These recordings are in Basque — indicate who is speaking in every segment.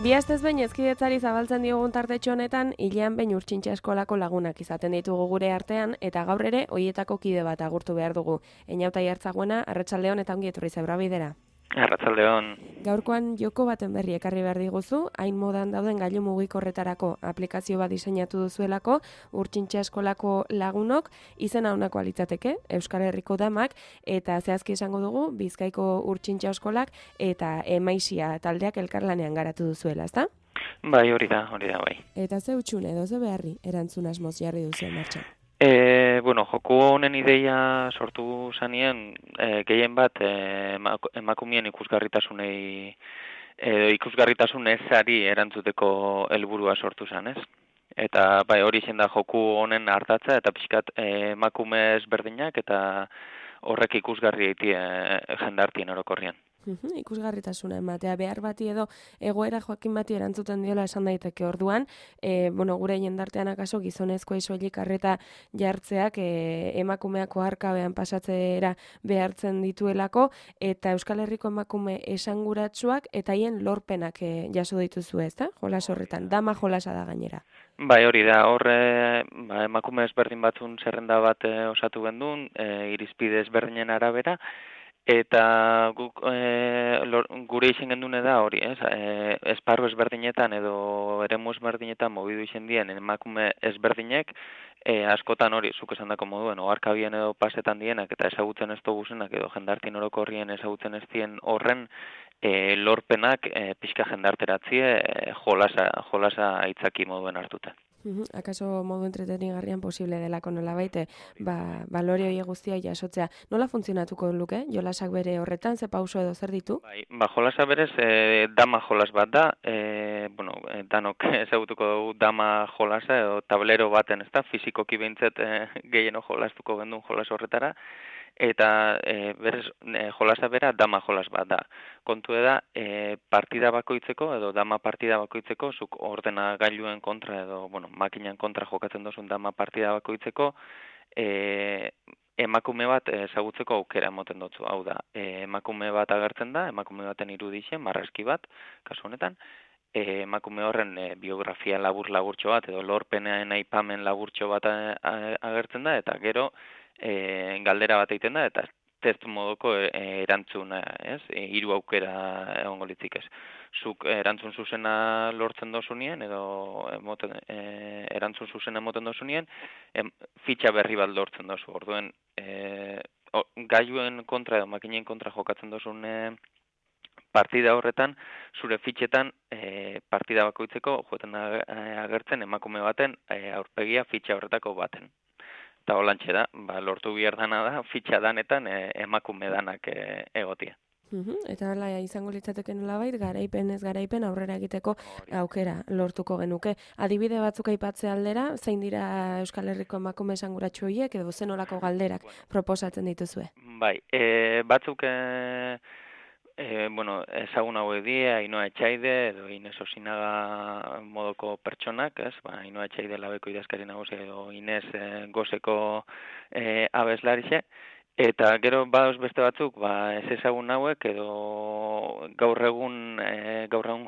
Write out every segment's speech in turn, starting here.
Speaker 1: Bi astez behin hezkidetzari zabaltzen diogun tartetxo honetan, hilean behin Urtsintxa eskolako lagunak izaten ditugu gure artean, eta gaur ere hoietako kide bat agurtu behar dugu. Eñauta Jartzaguena, arratsaldeon eta ongi etorri Zebra Bidera.
Speaker 2: Arratsaldeon.
Speaker 1: Gaurkoan joko baten berri ekarri behar diguzu, hain modan dauden gailu mugikorretarako aplikazio bat diseinatu duzuelako, Urtsintxa eskolako lagunok, izena honako litzateke, Euskal Herriko damak, eta zehazki esango dugu, Bizkaiko Urtsintxa eskolak eta Emaisia taldeak elkarlanean garatu duzuela, ezta?
Speaker 2: Bai, hori da, bai.
Speaker 1: Eta ze utxune edo ze beharri erantzun asmoz jarri duzu martxan?
Speaker 2: Joku honen ideia sortu zanien, gehien bat emakumeen ikusgarritasunei ikusgarritasun ezari erantzuteko helburua sortu zan, ez? Eta bai, hori zen da joku honen ardatza eta pixkat emakume ezberdinak eta horrek ikusgarri eitie jendartien orokorrian.
Speaker 1: Ikusgarritasuna ematea behar bati edo egoera joakin bati erantzuten diola esan daiteke orduan, gure jendartean akaso gizonezkoei soilik arreta jartzeak emakumeako arkabean pasatzera behartzen dituelako, eta Euskal Herriko emakume esanguratsuak eta haien lorpenak jaso dituzu, ezta? Jolas horretan, dama jolasa da gainera.
Speaker 2: Bai, hori da, emakume ezberdin batzun zerrenda bat osatu gendun, irizpide ezberdinen arabera, eta guk gure izen gendune da hori, esparru ezberdinetan edo eremu ezberdinetan mobidu izen dien emakume ezberdinek, askotan hori, zuk esan dako moduen, oharkabien edo pasetan dienak eta ezagutzen ez duguzenak edo jendartin orokorrien ezagutzen ez dien horren lorpenak pixka jendarteratzie jolasa aitzaki moduen hartuta.
Speaker 1: Akaso modu entretenigarrian posible delako nolabait, balore hori guztia jasotzea. Nola funtzionatuko luke? Jolasak bere horretan, ze pauso edo zer ditu?
Speaker 2: Bai, jolasa berez, dama jolas bat da, danok ezagutuko dugu dama jolasa edo tablero baten, ez da, fizikoki behintzet gehieno jolastuko gendun jolas horretara, eta berez jolasa bera dama jolas bat da. Kontu da, partida bakoitzeko edo dama partida bakoitzeko, zuk ordenagailuen kontra edo, makinan kontra jokatzen dozun dama partida bakoitzeko, emakume bat ezagutzeko aukera emoten dutzu. Hau da, emakume bat agertzen da, emakume baten irudixen, marrazki bat, kasu honetan, emakume horren biografia laburtxo bat edo lorpenean aipamen laburtxo bat agertzen da, eta gero galdera bat egiten da, eta test modoko erantzuna, ez? 3 aukera egongo litzik ez. Zuk erantzun zuzena lortzen dozunien, edo erantzun zuzena emoten dozunien, fitxa berri bat lortzen dozu. Orduen, gailuen kontra edo makinen kontra jokatzen dozun partida horretan, zure fitxetan partida bakoitzeko joeten agertzen emakume baten aurpegia fitxa horretako baten. Eta holantxe da, lortu behar dana da, fitxa danetan emakume danak egotia.
Speaker 1: Eta hala izango litzateke nolabait, garaipen aurrera egiteko aukera lortuko genuke. Adibide batzuk aipatze aldera, zein dira Euskal Herriko emakume esanguratsu horiek edo zenolako galderak proposatzen dituzue?
Speaker 2: Bai, batzuk ezagun hauek die, Ainhoa Etxaide edo Inez Osinaga modoko pertsonak, ez? Ainhoa Etxaide labeko idazkari nagusia edo Inez gozeko abeslarixe. Eta gero badoz beste batzuk, ez ezagun hauek edo gaur egun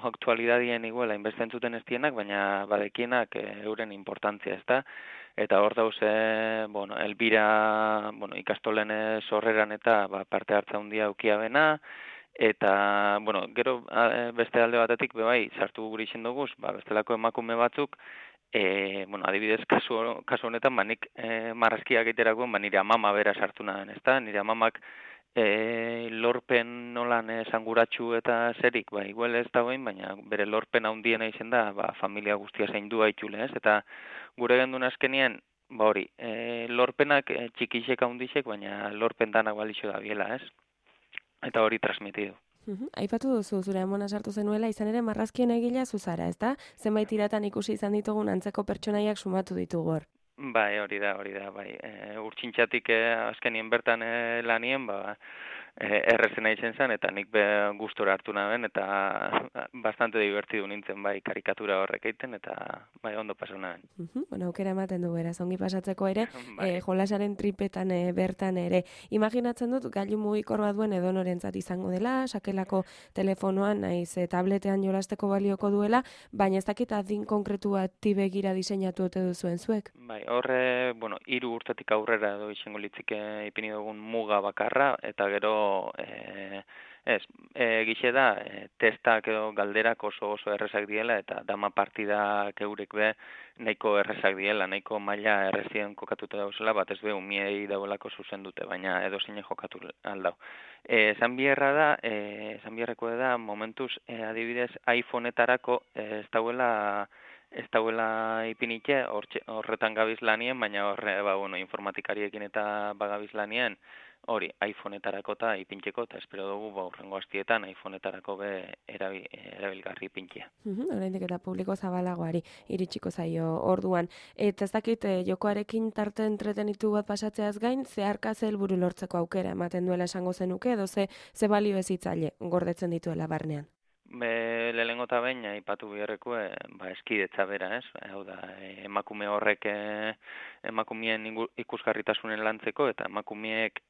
Speaker 2: aktualidadien iguela inbeste entzuten ez dienak, baina badekienak euren importantzia, ez da? Eta hor dauz, Elbira, ikastolen sorreran eta parte hartza handia aukia bena, eta, gero beste alde batetik, bai, sartu guri izen duguz, bestelako emakume batzuk, adibidez, kasu honetan, nik marrazkiak egiterakoen, nire amama bera sartu nahen, ez da? Nire amamak lorpen nolan esanguratsu eta zerik, igual ez da behin, baina bere lorpen handiena izen da, familia guztia zaindua itxule, ez? Eta gure gendun azkenien, hori, lorpenak txikisek handixek, baina lorpen danak balixo da biela, ez? Eta hori transmitidu.
Speaker 1: Aipatu duzu, zure amona sartu zenuela, izan ere marrazkien egila zuzara, ez da? Zenbait iratan ikusi izan ditugun antzeko pertsonaiak sumatu ditugu hor.
Speaker 2: Bai, hori da, bai. Urtsintxatik azkenien bertan lanien, errezena izen zen, eta nik gustora hartu naben, eta bastante divertidu nintzen bai karikatura horrek egiten, eta bai ondo pasau naben.
Speaker 1: Bueno, aukera ematen du beraz, ongi pasatzeko ere,
Speaker 2: Bai.
Speaker 1: jolasaren tripetan bertan ere. Imaginatzen dut, gailu mugikor bat duen edonorentzat izango dela, sakelako telefonoan, naiz tabletean jolasteko balioko duela, baina ez dakit adin konkretu bat begira diseinatu ote duzuen zuek?
Speaker 2: Bai, horre, 3 urtetik aurrera edo izango litzike ipini dugun muga bakarra, eta gero, gixe da, testak edo galderak oso errezak diela, eta dama partidak eurek be nahiko errezak diela, nahiko maila errezien kokatuta dauzela, bat ez be umiei dauelako zuzen dute, baina edo zein jokatu aldau. Esan biharreko da, momentuz, adibidez, iPhone-etarako ez dauela ipinike, horretan gabiz lanien, baina informatikariekin eta bagabiz lanien, hori, iPhone-etarako eta ipintxeko, eta espero dugu, urrengo hastietan iPhone-etarako be erabilgarri ipintzea.
Speaker 1: Oraindik eta publiko zabalagoari iritsiko zaio orduan. Eta ez dakit, jokoarekin tarte entretenitu bat pasatzeaz gain, zeharka ze helburu lortzeko aukera ematen duela esango zenuke, edo ze balio ezitzaile gordetzen dituela barnean?
Speaker 2: Lehenengo eta behin, aipatu biharreko, eskidetza bera, ez? Hau da, emakume horrek emakumeen ikusgarritasunen lantzeko, eta emakumeek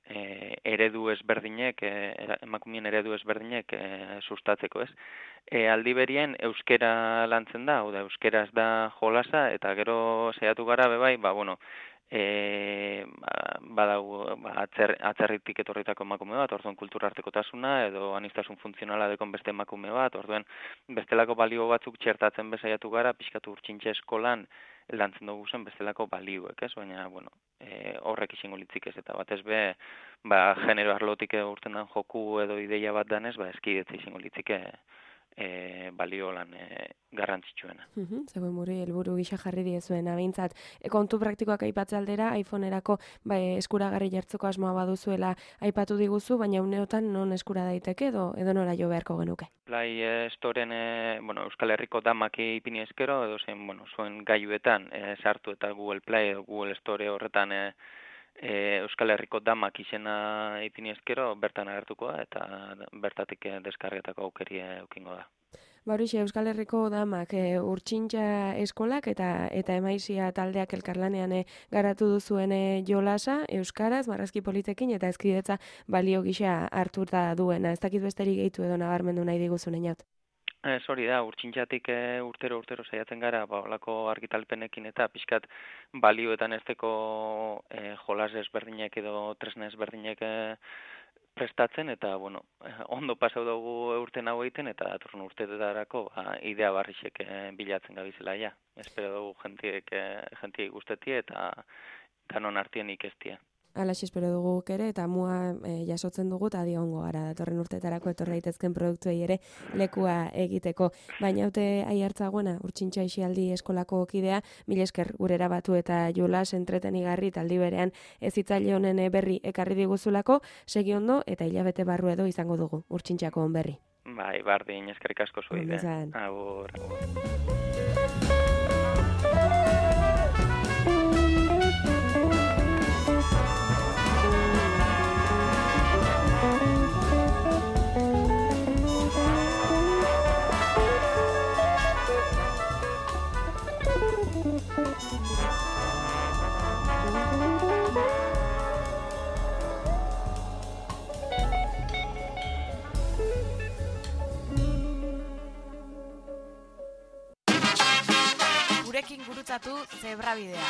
Speaker 2: emakumeen eredu ezberdinek sustatzeko, ez? Aldi berien, euskera lantzen da, hau da, euskeraz da jolasa, eta gero saiatu gara, bebai, badago atzerritik etorritako emakume bat, orduan kultura artekotasuna edo aniztasun funtzionala dekon beste emakume bat, orduan bestelako balio batzuk txertatzen bezaiatu gara, pixkatu urtsintxe eskolan lantzen dugu zen bestelako balioek, ez? Baina, horrek izango litzik ez, eta batez be, genero arlotik urten dan joku edo ideia bat danez, eskidetza izango litzike balio lan garrantzitsuena.
Speaker 1: Zegoen helburu gisa jarri diezuena, behintzat. Kontu praktikoak aipatze aldera, iPhone-erako eskuragarri jartzeko asmoa baduzuela aipatu diguzu, baina uneotan non eskura daiteke edo nora jo beharko genuke?
Speaker 2: Play Storen, Euskal Herriko damak ipini eskero, edo zen, zuen gailuetan sartu eta Google Play edo Google Store horretan Euskal Herriko damak izena ipini eskero, bertan agertuko da, eta bertatik deskargetako aukeri eukingo da.
Speaker 1: Horixe, Euskal Herriko damak urtsintxa eskolak eta emaizia taldeak elkarlanean garatu duzuen jolasa, euskaraz, marrazki politekin eta eskidetza balio gisa hartuta duena. Ez dakit besterik gehitu edo nabarmendu nahi diguzun einat.
Speaker 2: Hori da, urtsintxatik urtero saiatzen gara, olako argitalpenekin eta pixkat balioetan ezteko jolas ezberdinek edo tresna ezberdinek prestatzen, eta, ondo pasau dugu urten hau egiten, eta datorren urteetarako idea barrixek bilatzen gabizela, ja. Espero dugu jentiek guztetie eta non artien ikestie.
Speaker 1: Alaxe espero dugu ere, eta mua jasotzen dugu, eta diongo gara datorren urteetarako etor daitezken produktuei ere lekua egiteko. Baina haute aiartzagoena, urtsintxa isialdi eskolako kidea, mil esker gurera batu eta jolas entretenigarri taldi berean ezitzaile honen berri ekarri diguzulako, segi ondo eta hilabete barru edo izango dugu urtsintxako on berri.
Speaker 2: Bai, bardin, eskerrik asko zuide. Agur.
Speaker 3: Gurekin gurutzatu Zebrabidea.